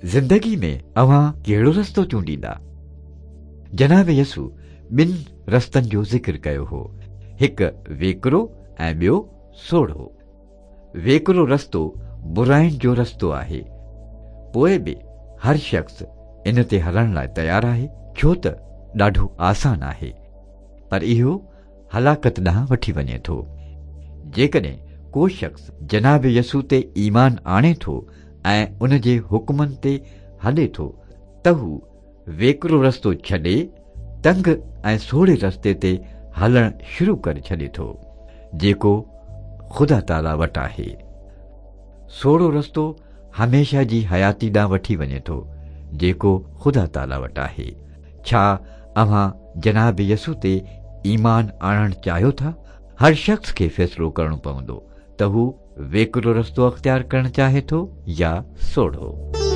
زندگي ۾ اوهان ڪهڙو رستو چونڊيندا؟ جناب يسوع ٻن رستن جو ذڪر ڪيو هو، هڪ ويڪرو ۽ ٻيو سوڙهو. ويڪرو رستو براين جو رستو آهي، پوء به هر شخص ان تي هلڻ لاء تيار آهي، ڇو ته ڏاڍو آسان آهي، پر اهو هلاڪت ڏانهن وٺي وڃي ٿو. جيڪڏهن ڪو شخص جناب يسوع تي ايمان آڻي ٿو ۽ ان جي حڪمن تي هلي ٿو ته هو ويڪرو رستو ڇڏي تنگ ۽ سوڙهي رستي تي هلڻ شروع ڪري ڇڏي ٿو، جيڪو خدا تعاليٰ وٽ آهي. سوڙهو رستو هميشه جي حياتي ڏانهن وٺي وڃي ٿو، جيڪو خدا تعاليٰ وٽ آهي. ڇا اوهان جناب يسوع تي ايمان آڻڻ چاهيو ٿا؟ هر شخص کي فيصلو ڪرڻو پوندو ته هو ويڪرو رستو اختيار ڪرڻ چاهي ٿو يا سوڙهو.